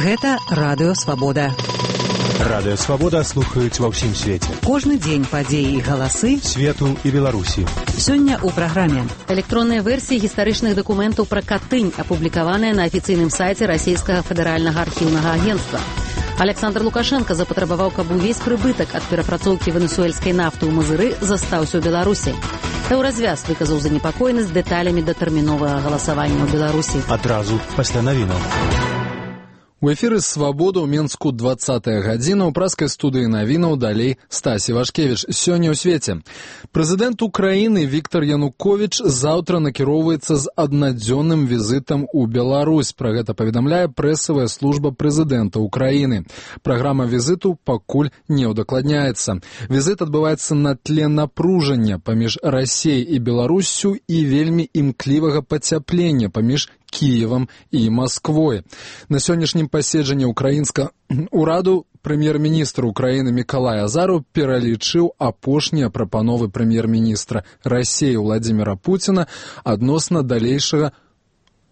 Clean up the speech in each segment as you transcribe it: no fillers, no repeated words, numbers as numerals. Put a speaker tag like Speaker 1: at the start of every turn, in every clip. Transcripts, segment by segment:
Speaker 1: Гэта Радыё Свабода.
Speaker 2: Радыё Свабода слухаюць ва ўсім свеце.
Speaker 1: Кожны дзень падзеі і галасы
Speaker 2: свету і Беларусі.
Speaker 1: Сёння ў праграме.
Speaker 3: Электронныя версіі гістарычных дакументаў пра Катынь, апублікаваныя на афіцыйным сайце Расійскага федэральнага архіўнага агенцтва. Александр Лукашенко запатрабаваў, каб увесь прыбытак ад перапрацоўкі венесуэльскай нафты ў Мазыры застаўся ў Беларусі. Еўразвяз выказаў занепакоенасць дэталямі датэрміновага галасавання ў Беларусі.
Speaker 2: Адразу пасля навінаў.
Speaker 4: У эфіры «Свабода» ў Менску 20-я гадзіна, у праскай студыі навінаў далей Стасі Вашкевіч. Сёння ў свеце. Прэзідэнт Украіны Віктор Януковіч заўтра накіроўваецца з аднадзённым візітам у Беларусь. Пра гэта паведамляе прэсавая служба прэзідэнта Украіны. Праграма візіту пакуль не ўдакладняецца. Візіт адбываецца на тле напружання паміж Расіяй і Беларуссю і вельмі імклівага пацяплення паміж Киевам і Москвой. На сённяшнім паседжанні украінскага ўраду прэм'ер-міністр Украіны Мікалай Азараў пералічыў апошнія прапановы прэм'ер-міністра Расіі Владзіміра Пуціна адносна далейшага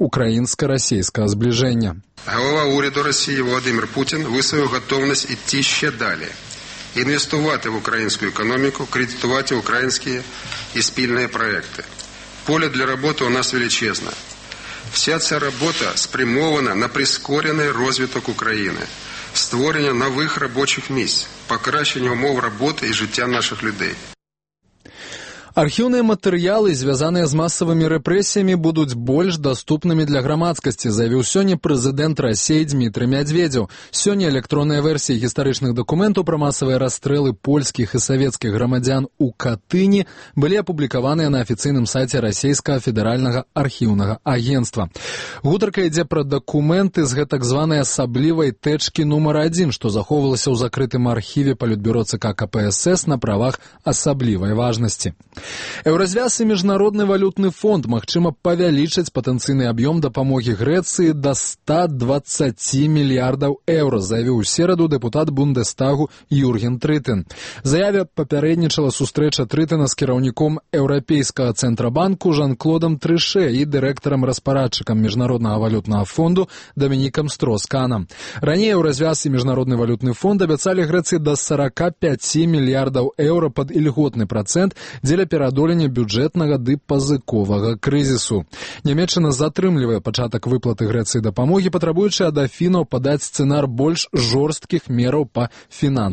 Speaker 4: украінска-расійскага зближення.
Speaker 5: Голова уряду Росії Володимир Путін висловив готовність йти ще далі. Інвестувати в українську економіку, кредитувати українські і спільні проекти. Поле для роботи у нас величезне. Вся ця робота спрямована на прискорений розвиток України, створення нових робочих місць, покращення умов роботи і життя наших людей.
Speaker 4: Архіўныя матэрыялы, звязаныя з масавымі рэпрэсіямі, будуць больш даступнымі для грамадскасці, заявіў сёння прэзідэнт Расіі Дмітрый Мядзведзеў. Сёння электронныя версіі гістарычных дакументаў пра масавыя расстрэлы польскіх і савецкіх грамадзян у Катыні былі апублікаваныя на афіцыйным сайце Расійскага федэральнага архіўнага агенцтва. Гутарка ідзе пра дакументы з гэтак званай асаблівай тэчкі нумар 1, што захоўвалася ў закрытым архіве Палітбюро ЦК КПСС на правах асаблівай важнасці. Еўразвяз і Міжнародны валютны фонд магчыма павялічыць патэнцыйны аб'ём дапамогі Грэцыі да 120 мільярдаў еўра, заявіў у сераду дэпутат Бундестагу Юрген Трытэн. Заяве папярэднічала сустрэча Трытэна з кіраўніком Еўрапейскага цэнтрабанку Жан-Клодам Трыше і дырэктарам-распарадчыкам Міжнароднага валютнага фонду Дамінікам Стросканам. Раней Еўразвяз і Міжнародны валютны фонд абяцалі Грэцыі да 45 мільярдаў еўра пад ільготны працэнт дзеля пераадолення бюджэтнага ды пазыковага крызісу. Нямецчына затрымлівае пачатак выплаты Грэцыі дапамогі, патрабуючы ад Афінаў падаць сцэнар больш жорсткіх мераў па фінансавым